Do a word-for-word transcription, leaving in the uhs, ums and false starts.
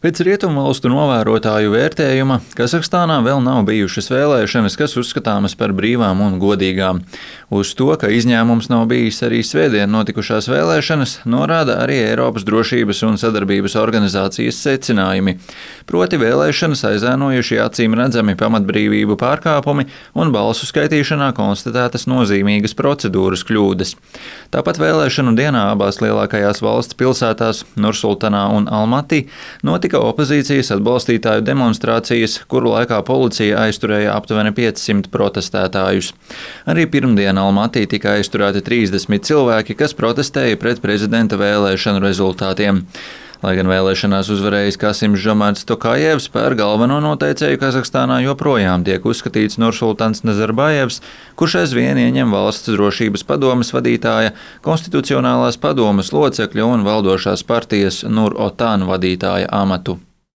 Pēc rietumvalstu novērotāju vērtējuma Kazahstānā vēl nav bijušas vēlēšanas, kas uzskatāmas par brīvām un godīgām. Uz to, ka izņēmums nav bijis arī svētdien notikušās vēlēšanas, norāda arī Eiropas drošības un sadarbības organizācijas secinājumi. Proti vēlēšanas aizēnojuši acīm redzami pamatbrīvību pārkāpumi un balsu skaitīšanā konstatētas nozīmīgas procedūras kļūdas. Tāpat vēlēšanu dienā abās lielākajās valsts pilsētās Nursultanā un Almatī notika opozīcijas atbalstītāju demonstrācijas, kuru laikā policija aizturēja aptuveni piecsimt protestētājus. Arī pirmdien Almatī tika aizturēti trīsdesmit cilvēki, kas protestēja pret prezidenta vēlēšanu rezultātiem. Lai gan vēlēšanās uzvarējis Kasims Žomarts Tokajevs, par galveno noteicēju Kazahstānā joprojām tiek uzskatīts Nursultans Nazarbajevs, kurš aizvien ieņem valsts drošības padomes vadītāja, konstitucionālās padomes locekļa un valdošās partijas Nur Otan vadītāja amatu.